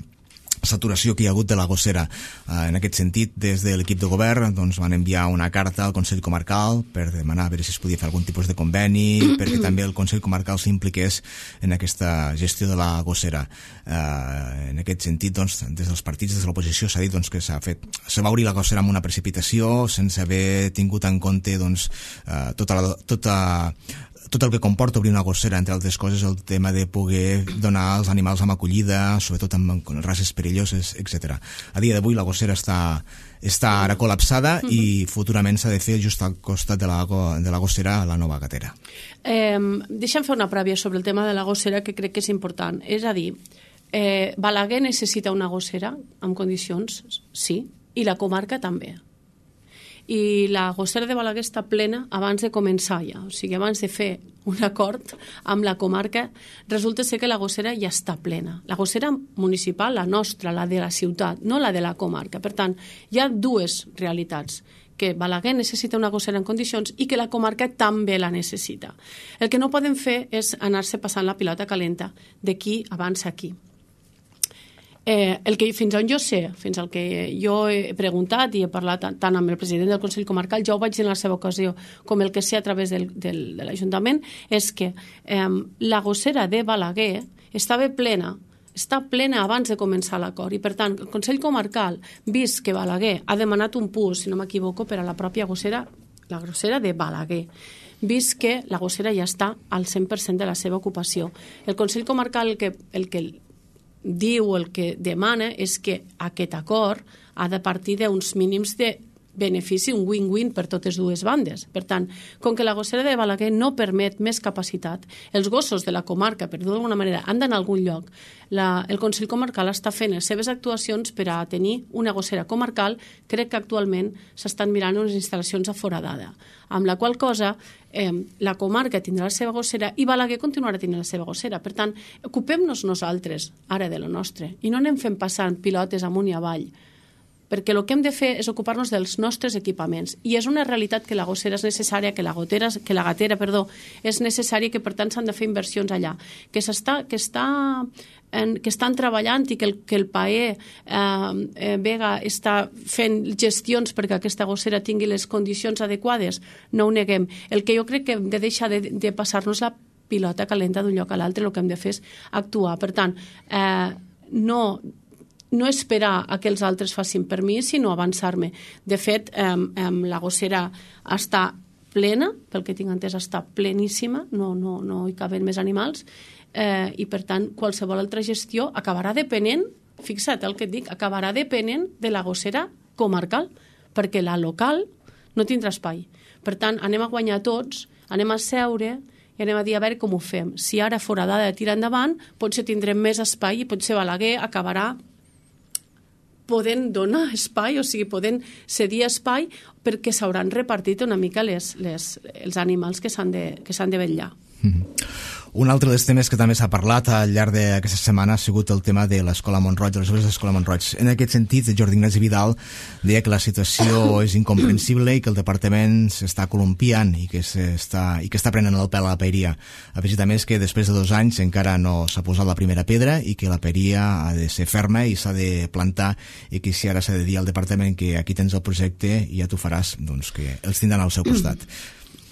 saturació que hi ha hagut de la gossera. Uh, en aquest sentit, des de l'equip de govern doncs, van enviar una carta al Consell Comarcal per demanar a veure si es podia fer algun tipus de conveni perquè també el Consell Comarcal s'impliqués en aquesta gestió de la gossera. Uh, en aquest sentit, doncs, des dels partits, des de l'oposició, s'ha dit doncs, que s'ha fet, se va obrir la gossera amb una precipitació sense haver tingut en compte doncs, uh, tota la, tota tot el que comporta obrir una gossera, entre altres coses, el tema de poder donar als animals amb acollida, sobretot amb races perilloses, etcètera. A dia d'avui la gossera està, està ara col·lapsada uh-huh. i futurament s'ha de fer just al costat de la, de la gossera la nova gatera. Eh, deixa'm fer una prèvia sobre el tema de la gossera que crec que és important. És a dir, eh, Balaguer necessita una gossera amb condicions, sí, i la comarca també. I la gossera de Balaguer està plena abans de començar ja, o sigui, abans de fer un acord amb la comarca, resulta ser que la gossera ja està plena. La gossera municipal, la nostra, la de la ciutat, no la de la comarca. Per tant, hi ha dues realitats, que Balaguer necessita una gossera en condicions i que la comarca també la necessita. El que no podem fer és anar-se passant la pilota calenta d'aquí abans aquí. Eh, el que fins on jo sé, fins al que jo he preguntat i he parlat tant amb el president del Consell Comarcal, jo ho vaig dir en la seva ocasió, com el que sé a través del, del, de l'Ajuntament, és que eh, la gossera de Balaguer estava plena, està plena abans de començar l'acord i per tant el Consell Comarcal, vist que Balaguer ha demanat un P U S, si no m'equivoco, per a la pròpia gossera, la gossera de Balaguer, vist que la gossera ja està al cent per cent de la seva ocupació. El Consell Comarcal el que, el que diu, el que demana és que aquest acord ha de partir d'uns mínims de benefici, un win-win per totes dues bandes. Per tant, com que la gossera de Balaguer no permet més capacitat, els gossos de la comarca, per dir-ho d'alguna manera, han d'anar a algun lloc. La, el Consell Comarcal està fent les seves actuacions per a tenir una gossera comarcal. Crec que actualment s'estan mirant unes instal·lacions a Foradada, amb la qual cosa eh, la comarca tindrà la seva gossera i Balaguer continuarà tenint la seva gossera. Per tant, ocupem-nos nosaltres ara de lo nostre i no anem fent passant pilotes amunt i avall, perquè el que hem de fer és ocupar-nos dels nostres equipaments. I és una realitat que la gossera és necessària, que la, gotera, que la gatera perdó, és necessària i que per tant s'han de fer inversions allà. Que, s'està, que, està, en, que estan treballant i que el, que el P A E eh, Vega està fent gestions perquè aquesta gossera tingui les condicions adequades, no ho neguem. El que jo crec que hem de deixar de, de passar-nos la pilota calenta d'un lloc a l'altre, el que hem de fer és actuar. Per tant, eh, no... no esperar a que els altres facin per mi, sinó avançar-me. De fet, eh, eh, la gossera està plena, pel que tinc entès està pleníssima, no, no, no hi caben més animals, eh, i per tant qualsevol altra gestió acabarà depenent, fixa't el que et dic, acabarà depenent de la gossera comarcal, perquè la local no tindrà espai. Per tant, anem a guanyar tots, anem a seure i anem a dir a veure com ho fem. Si ara Foradada de tirar endavant, potser tindrem més espai i potser Balaguer acabarà podent donar espai, o sigui, podent cedir espai perquè s'hauran repartit una mica les, les, els animals que s'han de, que s'han de vetllar. Mm-hmm. Un altre dels temes que també s'ha parlat al llarg d'aquesta setmana ha sigut el tema de l'Escola Montroig, de les obres de l'Escola Montroig. En aquest sentit, Jordi Ignasi Vidal deia que la situació és incomprensible i que el departament s'està columpiant i que s'està i que està prenent el pèl a la paeria. Ha afegit a més que després de dos anys encara no s'ha posat la primera pedra i que la paeria ha de ser ferma i s'ha de plantar, i que si ara s'ha de dir al departament que aquí tens el projecte i ja t'ho faràs, doncs que els tindran al seu costat.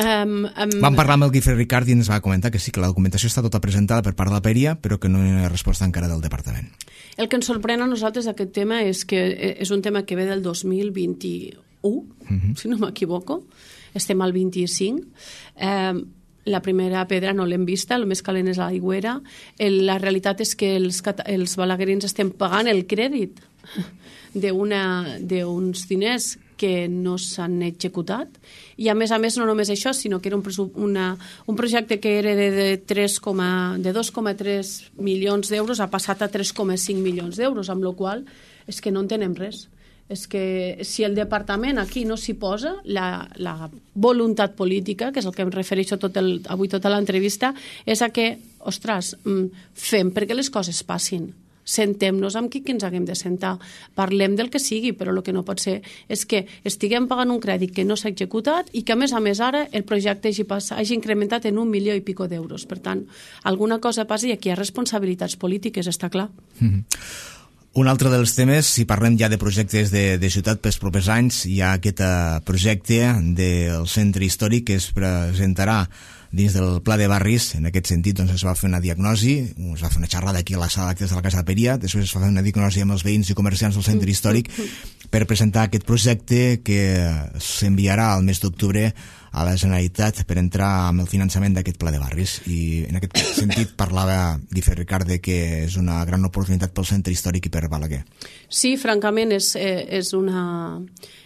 Um, um, Vam parlar amb el Guifré Ricard i ens va comentar que sí, que la documentació està tota presentada per part de la paeria, però que no hi ha resposta encara del departament. El que ens sorprèn a nosaltres d'aquest tema és que és un tema que ve del dos mil vint-i-u, uh-huh. si no m'equivoco, estem al vint-i-cinc, eh, la primera pedra no l'hem vista, el més calent és l'aigüera, la realitat és que els, els balaguerins estem pagant el crèdit d'uns diners que no s'han executat, i a més a més no només això, sinó que era un, una, un projecte que era de, de, de dos coma tres milions d'euros, ha passat a tres coma cinc milions d'euros, amb la qual és que no entenem res. És que si el departament aquí no s'hi posa, la, la voluntat política, que és el que em refereixo tot el, avui tota l'entrevista, és a que, ostres, fem perquè les coses passin. Sentem-nos amb qui ens haguem de sentar, parlem del que sigui, però el que no pot ser és que estiguem pagant un crèdit que no s'ha executat i que a més a més ara el projecte hagi, pas, hagi incrementat en un milió i pico d'euros. Per tant, alguna cosa passa i aquí hi ha responsabilitats polítiques, està clar. Mm-hmm. Un altre dels temes, si parlem ja de projectes de, de ciutat pels propers anys, hi ha aquest uh, projecte del centre històric que es presentarà dins del pla de barris. En aquest sentit, doncs, es va fer una diagnosi, es va fer una xerrada aquí a la sala d'actes de la Casa de Paeria, després es va fer una diagnosi amb els veïns i comerciants del centre històric per presentar aquest projecte que s'enviarà al mes d'octubre a la Generalitat per entrar amb el finançament d'aquest pla de barris. I en aquest sentit parlava Guifré Ricard que és una gran oportunitat pel centre històric i per Balaguer. Sí, francament és, és, una,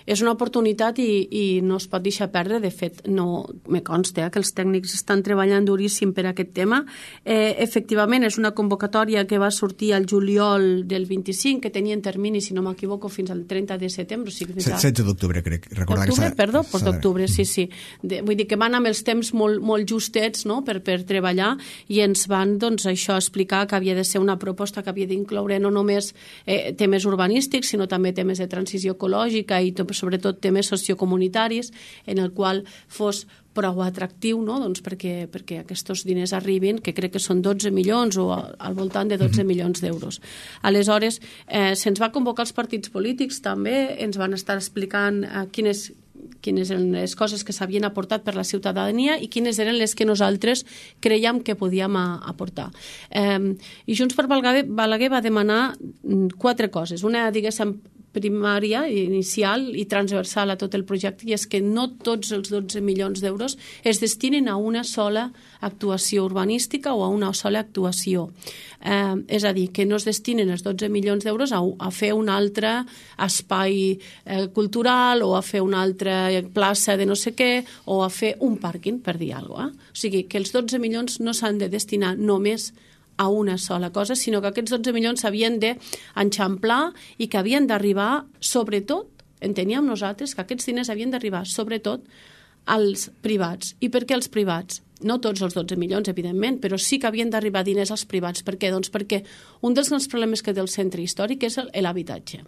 és una oportunitat i, i no es pot deixar perdre. De fet, no me consta eh, que els tècnics estan treballant duríssim per aquest tema. Eh, efectivament, és una convocatòria que va sortir al juliol del vint-i-cinc, que tenia en termini, si no m'equivoco, fins al trenta de setembre. O sigui, setze d'octubre, crec. D'octubre, perdó, doncs d'octubre, sí, sí. De, vull dir que van amb els temps molt, molt justets, no?, per, per treballar, i ens van, doncs, això explicar que havia de ser una proposta que havia d'incloure no només eh, temes urbanístics, sinó també temes de transició ecològica i tot, sobretot temes sociocomunitaris, en el qual fos prou atractiu, no?, doncs perquè, perquè aquests diners arribin, que crec que són dotze milions o al voltant de dotze milions d'euros. Aleshores, eh, se'ns va convocar els partits polítics també, ens van estar explicant eh, quines quines eren les coses que s'havien aportat per la ciutadania i quines eren les que nosaltres creiem que podíem aportar. Eh, I Junts per Balaguer, Balaguer va demanar quatre coses. Una, diguéssim, primària, inicial i transversal a tot el projecte, i és que no tots els dotze milions d'euros es destinen a una sola actuació urbanística o a una sola actuació. Eh, és a dir, que no es destinen els dotze milions d'euros a, a fer un altre espai eh, cultural o a fer una altra plaça de no sé què o a fer un pàrquing, per dir alguna cosa. Eh? O sigui, que els dotze milions no s'han de destinar només a una sola cosa, sinó que aquests dotze milions s'havien d'enxamplar i que havien d'arribar, sobretot, enteníem nosaltres que aquests diners havien d'arribar, sobretot, als privats. I per què als privats? No tots els dotze milions, evidentment, però sí que havien d'arribar diners als privats. Per què? Doncs perquè un dels grans problemes que té el centre històric és l'habitatge.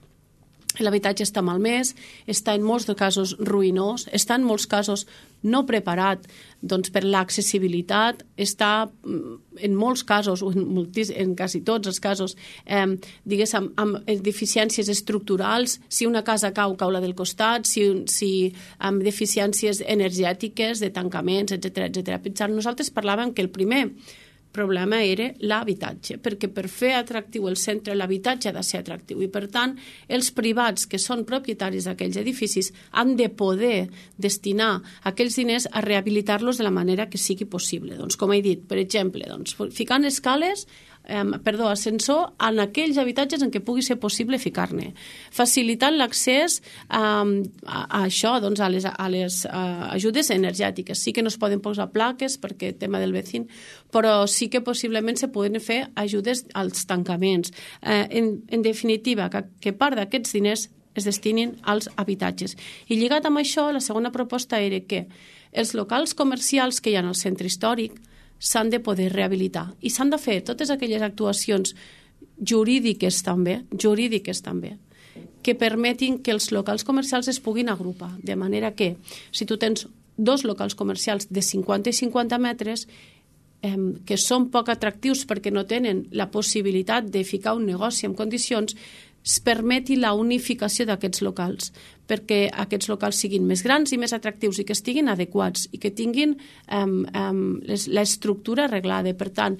L'habitatge està malmès, està en molts casos ruïnós, està en molts casos no preparat doncs, per l'accessibilitat, està en molts casos, o en, moltis, en quasi tots els casos, eh, diguéssim, amb deficiències estructurals. Si una casa cau, cau la del costat, si, si amb deficiències energètiques, de tancaments, etcètera, etcètera. Nosaltres parlàvem que el primer problema era l'habitatge, perquè per fer atractiu el centre l'habitatge ha de ser atractiu i, per tant, els privats que són propietaris d'aquells edificis han de poder destinar aquells diners a rehabilitar-los de la manera que sigui possible. Doncs, com he dit, per exemple, doncs, ficant escales Eh, perdó, ascensor en aquells habitatges en què pugui ser possible ficar-ne, facilitant l'accés eh, a, a això, doncs, a les, a les a ajudes energètiques. Sí que no es poden posar plaques perquè tema del vecin, però sí que possiblement se poden fer ajudes als tancaments. Eh, en, en definitiva, que, que part d'aquests diners es destinin als habitatges. I lligat amb això, la segona proposta era que els locals comercials que hi ha al centre històric s'han de poder rehabilitar i s'han de fer totes aquelles actuacions jurídiques també, jurídiques també, que permetin que els locals comercials es puguin agrupar, de manera que si tu tens dos locals comercials de cinquanta i cinquanta metres eh, que són poc atractius perquè no tenen la possibilitat de ficar un negoci en condicions, es permeti la unificació d'aquests locals, perquè aquests locals siguin més grans i més atractius i que estiguin adequats i que tinguin um, um, l'estructura arreglada. Per tant,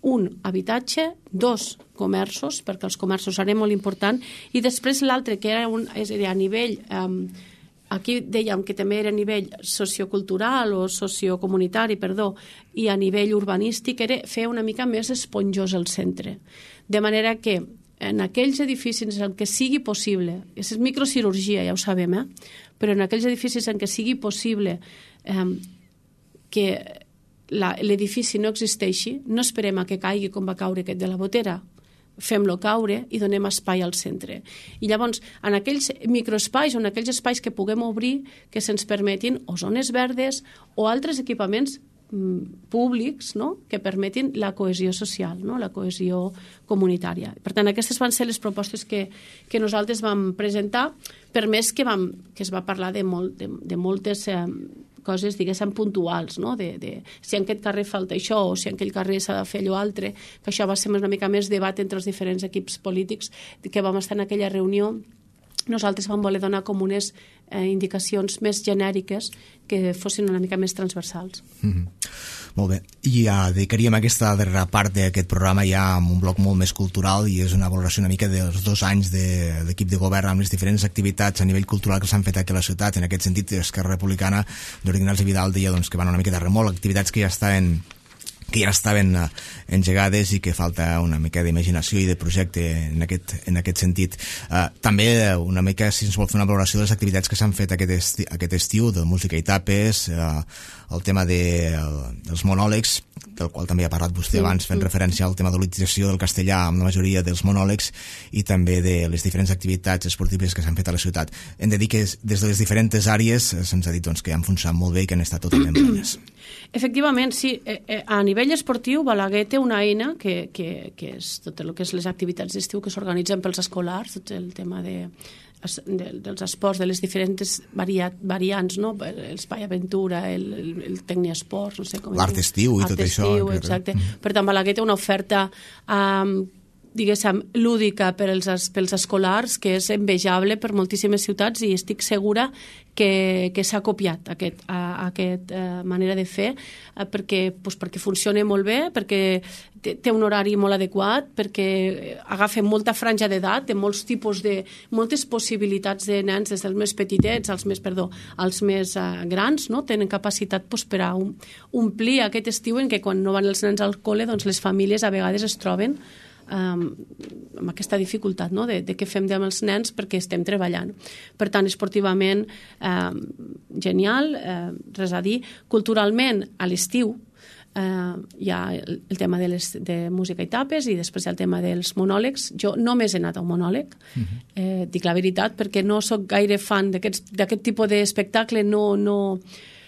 un habitatge, dos comerços, perquè els comerços seran molt important, i després l'altre, que era un, és a dir, a nivell... Um, aquí dèiem que també era a nivell sociocultural o sociocomunitari, perdó, i a nivell urbanístic era fer una mica més esponjós el centre. De manera que en aquells edificis en què sigui possible, és microcirurgia, ja ho sabem, eh? Però en aquells edificis en què sigui possible eh, que l'edifici no existeixi, no esperem a que caigui com va caure aquest de la Botera, fem-lo caure i donem espai al centre. I llavors, en aquells microespais o en aquells espais que puguem obrir, que se'ns permetin o zones verdes o altres equipaments públics, no?, que permetin la cohesió social, no?, la cohesió comunitària. Per tant, aquestes van ser les propostes que, que nosaltres vam presentar, per més que, vam, que es va parlar de, molt, de, de moltes eh, coses, diguéssim, puntuals, no?, de, de si en aquest carrer falta això o si en aquell carrer s'ha de fer allò altre, que això va ser una mica més debat entre els diferents equips polítics que vam estar en aquella reunió. Nosaltres vam voler donar com unes eh, indicacions més genèriques que fossin una mica més transversals. Mm-hmm. Molt bé. I ja dedicaríem aquesta darrera part d'aquest programa ja amb un bloc molt més cultural i és una valoració una mica dels dos anys d'equip de, de govern amb les diferents activitats a nivell cultural que s'han fet aquí a la ciutat. En aquest sentit, Esquerra Republicana d'Ignasi Vidal deia doncs, que van una mica de remol, activitats que ja estaven que ja estaven engegades i que falta una mica d'imaginació i de projecte en aquest, en aquest sentit. Uh, també una mica, si ens vol fer una valoració de les activitats que s'han fet aquest, esti, aquest estiu, de música i tapes, uh, el tema de, el, dels monòlegs, del qual també ha parlat vostè abans, fent referència al tema de l'utilització del castellà amb la majoria dels monòlegs i també de les diferents activitats esportives que s'han fet a la ciutat. Hem de dir que des de les diferents àrees se'ns ha dit doncs, que han funcionat molt bé i que han estat totalment plenes. Efectivament, sí. A nivell esportiu, Balaguer té una eina que, que, que és tot el que és les activitats d'estiu que s'organitzen pels escolars, tot el tema de, de, dels esports, de les diferents varia, variants, no? L'espai aventura, el, el, el tecniesport, no sé com... L'art estiu i Art tot estiu, això. Exacte. Mm. Per tant, Balaguer té una oferta um, diguéssim, lúdica per als, pels escolars, que és envejable per moltíssimes ciutats i estic segura que, que s'ha copiat aquest, a, a aquest uh, manera de fer uh, perquè, pues, perquè funciona molt bé, perquè té, té un horari molt adequat, perquè agafa molta franja d'edat, de molts tipus de... moltes possibilitats de nens, des dels més petitets als més, perdó, als més uh, grans, no? Tenen capacitat pues, per a um, omplir aquest estiu en què quan no van els nens al col·le, doncs les famílies a vegades es troben Um, amb aquesta dificultat, no? de, de què fem amb els nens perquè estem treballant. Per tant, esportivament um, genial, uh, res a dir. Culturalment, a l'estiu uh, hi ha el, el tema de, les, de música i tapes i després hi ha el tema dels monòlegs. Jo només he anat a un monòleg, uh-huh. eh, dic la veritat, perquè no sóc gaire fan d'aquest tipus d'espectacle, no... no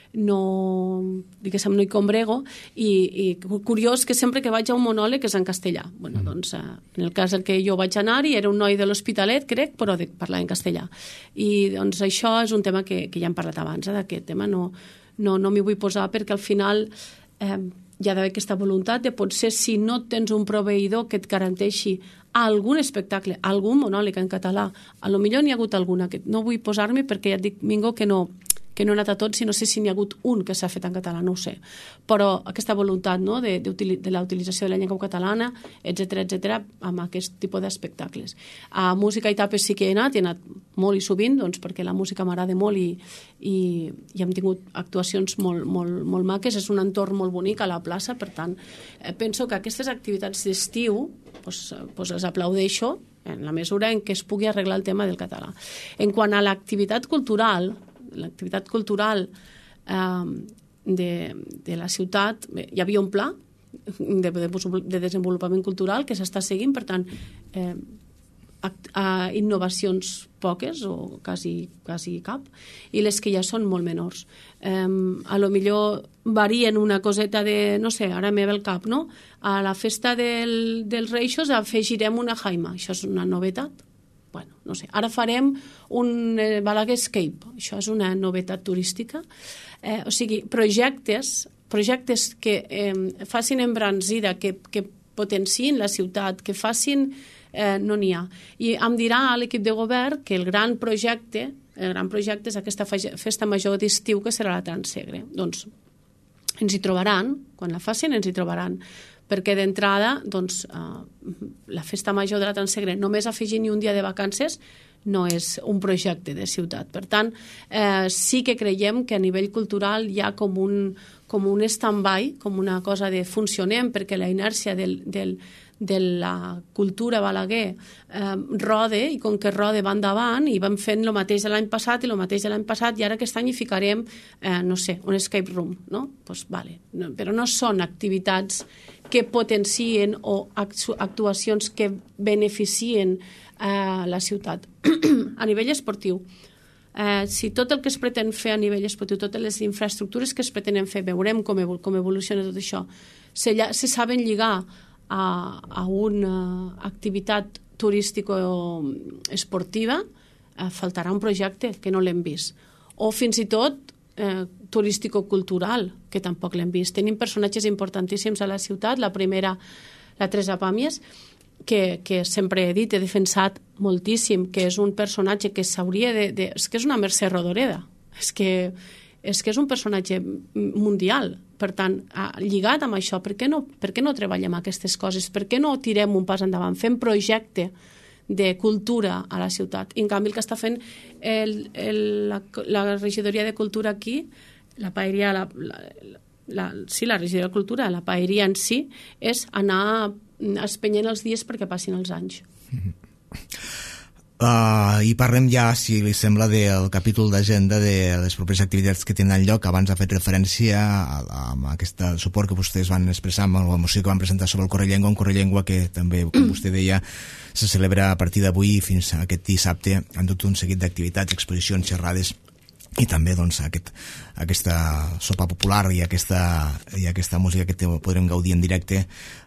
no, diguéssim, no hi combrego i, i curiós que sempre que vaig a un monòleg és en castellà. Bueno, doncs, en el cas en què jo vaig anar-hi era un noi de l'Hospitalet, crec, però de parlar en castellà. I doncs això és un tema que, que ja hem parlat abans, eh, d'aquest tema no, no, no m'hi vull posar perquè al final eh, hi ha d'haver aquesta voluntat de potser si no tens un proveïdor que et garanteixi algun espectacle, algun monòleg en català, a lo millor n'hi ha hagut alguna que no vull posar-me perquè ja et dic, Mingo, que no que no he anat a tots, i no sé si n'hi ha hagut un que s'ha fet en català, no ho sé. Però aquesta voluntat, no?, de, de, de la utilització de la llengua catalana, etcètera, etcètera, amb aquest tipus d'espectacles. A música i tapes sí que he anat, he anat molt i sovint, doncs, perquè la música m'agrada molt i, i, i hem tingut actuacions molt, molt, molt maques, és un entorn molt bonic a la plaça, per tant, eh, penso que aquestes activitats d'estiu doncs, doncs les aplaudeixo en la mesura en què es pugui arreglar el tema del català. En quant a l'activitat cultural, l'activitat cultural eh, de, de la ciutat, hi havia un pla de, de, de desenvolupament cultural que s'està seguint, per tant, eh, act, eh, innovacions poques o quasi, quasi cap, i les que ja són molt menors. Eh, a lo millor varien una coseta de, no sé, ara me ve el cap, no? A la festa del, dels Reixos afegirem una jaima, això és una novetat. Bueno, no sé, ara farem un eh, Balaguer Escape, això és una novetat turística. Eh, o sigui, projectes, projectes que eh, facin embranzida, que, que potenciïn la ciutat, que facin... Eh, no n'hi ha. I em dirà a l'equip de govern que el gran projecte, el gran projecte és aquesta festa major d'estiu que serà la Transsegre. Doncs ens hi trobaran, quan la facin ens hi trobaran, perquè d'entrada doncs, eh, la festa major de la Transsegre només afegint-hi un dia de vacances no és un projecte de ciutat. Per tant, eh, sí que creiem que a nivell cultural hi ha com un, com un stand-by, com una cosa de funcionem, perquè la inèrcia del, del, de la cultura Balaguer eh, rode, i com que rode va endavant, i vam fent el mateix de l'any passat i el mateix de l'any passat, i ara aquest any hi ficarem, eh, no sé, un escape room, no? Pues vale. No, però no són activitats que potencien o actuacions que beneficien a la ciutat. A nivell esportiu, eh, si tot el que es pretén fer a nivell esportiu, totes les infraestructures que es pretenen fer, veurem com, evol com evoluciona tot això, se, se saben lligar a, a una activitat turística o esportiva, eh, faltarà un projecte que no l'hem vist. O fins i tot eh, turístico-cultural, que tampoc l'hem vist. Tenim personatges importantíssims a la ciutat, la primera, la Teresa Pàmies, que, que sempre he dit, he defensat moltíssim, que és un personatge que s'hauria de, de... És que és una Mercè Rodoreda, és que, és que és un personatge mundial. Per tant, lligat amb això, per què no, per què no treballem aquestes coses? Per què no tirem un pas endavant? Fem projecte de cultura a la ciutat. I en canvi el que està fent el, el, la, la regidoria de cultura aquí, la paeria, la, la, la, sí, la regidoria de cultura, la paeria en si, és anar espenyent els dies perquè passin els anys. Uh, I parlem ja, si li sembla, del capítol d'agenda de les properes activitats que tindran lloc. Abans ha fet referència a, a, a aquest suport que vostès van expressar amb la moció que van presentar sobre el Correllengua, un Correllengua que també, com vostè deia, se celebra a partir d'avui fins a aquest dissabte amb tot un seguit d'activitats, exposicions, xerrades i també doncs, aquest, aquesta sopa popular i aquesta, i aquesta música que te, podrem gaudir en directe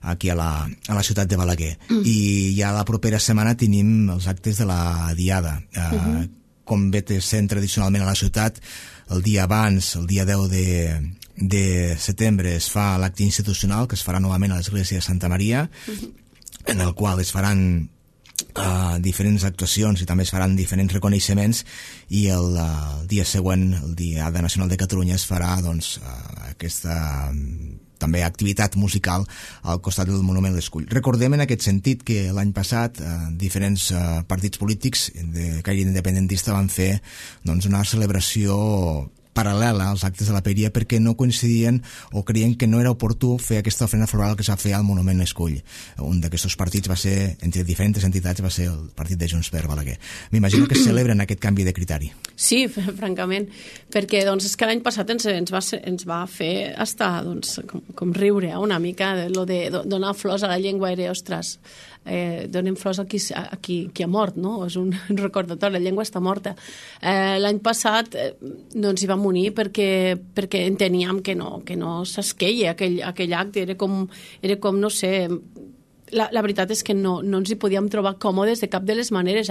aquí a la, a la ciutat de Balaguer. Mm. I ja la propera setmana tenim els actes de la Diada. Uh, mm-hmm. Com bé sent tradicionalment a la ciutat, el dia abans, el dia deu de, de setembre, es fa l'acte institucional que es farà novament a l'església de Santa Maria, mm-hmm. en el qual es faran Uh, diferents actuacions i també es faran diferents reconeixements, i el, uh, el dia següent, el Diada Nacional de Catalunya, es farà doncs, uh, aquesta um, també activitat musical al costat del Monument l'Escull. Recordem en aquest sentit que l'any passat uh, diferents uh, partits polítics de caire independentista van fer doncs, una celebració paral·lela als actes de la Paeria perquè no coincidien o creien que no era oportú fer aquesta ofrena floral que s'ha fet al Monument l'Escull. Un d'aquests partits va ser, entre diferents entitats, va ser el partit de Junts per Balaguer. M'imagino que celebren aquest canvi de criteri. Sí, francament, perquè doncs, és que l'any passat ens, ens, va, ens va fer hasta, doncs, com, com riure una mica de lo de donar flors a la llengua. Era, ostres, eh, donem flors a qui, a qui, qui ha mort, no? És un recordatori, la llengua està morta. Eh, l'any passat eh, no ens hi vam unir perquè, perquè enteníem que no, que no s'esqueia aquell, aquell acte, era com, era com, no sé, la, la veritat és que no, no ens hi podíem trobar còmodes de cap de les maneres.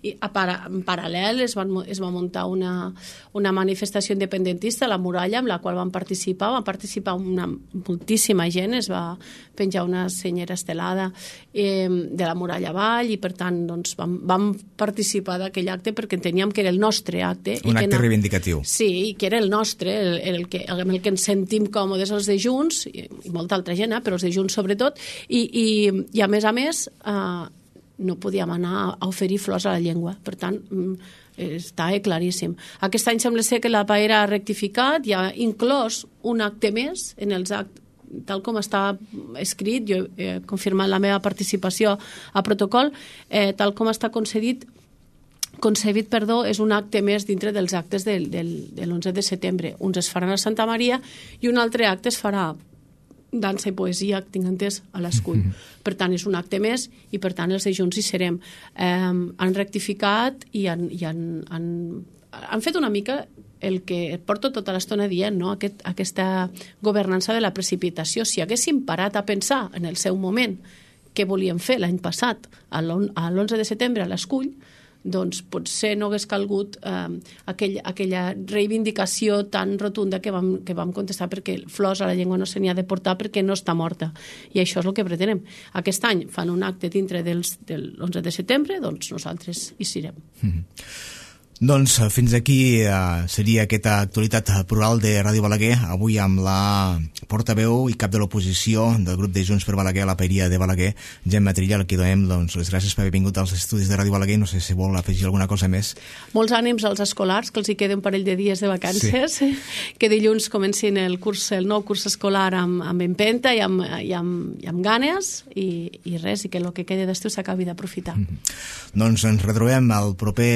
I a para, en paral·lel es, van, es va muntar una, una manifestació independentista a la muralla amb la qual van participar, van participar una, moltíssima gent, es va penjar una senyera estelada eh, de la muralla avall i per tant doncs, vam, vam participar d'aquell acte perquè enteníem que era el nostre acte. Un i acte que no, reivindicatiu. Sí, i que era el nostre, el, el, que, el, el que ens sentim còmodes els de Junts, i, i molta altra gent, eh, però els de Junts sobretot, i, i i a més a més eh, no podíem anar a oferir flors a la llengua, per tant està claríssim. Aquest any sembla ser que la Paera ha rectificat i ha inclòs un acte més en els actes, tal com està escrit, jo he confirmat la meva participació a protocol, eh, tal com està concedit concebit, perdó, és un acte més dintre dels actes del, del, de l'onze de setembre. Uns es faran a Santa Maria i un altre acte es farà dansa i poesia, que tinc entès, a l'Escull. Mm-hmm. Per tant, és un acte més i, per tant, els de Junts hi serem. Eh, han rectificat i han, i han, han, han fet una mica el que porto tota l'estona dient, no? Aquest, aquesta governança de la precipitació. Si haguéssim parat a pensar en el seu moment què volíem fer l'any passat, a l'onze de setembre, a l'Escull, doncs potser no hagués calgut eh, aquell, aquella reivindicació tan rotunda que vam, que vam contestar, perquè flors a la llengua no se n'hi ha de portar perquè no està morta. I això és el que pretenem. Aquest any fan un acte dintre dels, de l'onze de setembre, doncs nosaltres hi serem. Mm-hmm. Doncs fins aquí eh, seria aquesta actualitat plural de Ràdio Balaguer, avui amb la portaveu i cap de l'oposició del grup de Junts per Balaguer a la Paeria de Balaguer, Gemma Trilla, al que donem doncs, les gràcies per haver vingut als estudis de Ràdio Balaguer. No sé si vol afegir alguna cosa més. Molts ànims als escolars, que els hi queda un parell de dies de vacances, sí. Que dilluns comencin el curs, el nou curs escolar amb, amb empenta i amb, i amb, i amb ganes i, i res, i que el que queda d'estiu s'acabi d'aprofitar. Mm-hmm. Doncs ens retrobem el proper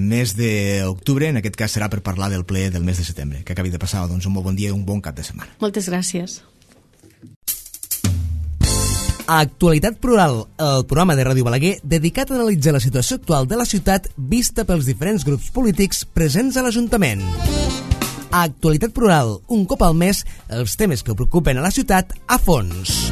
mes d'octubre, en aquest cas serà per parlar del ple del mes de setembre, que acabi de passar. Doncs un molt bon dia i un bon cap de setmana. Moltes gràcies. Actualitat Plural, el programa de Ràdio Balaguer dedicat a analitzar la situació actual de la ciutat vista pels diferents grups polítics presents a l'Ajuntament. Actualitat Plural, un cop al mes, els temes que preocupen a la ciutat a fons.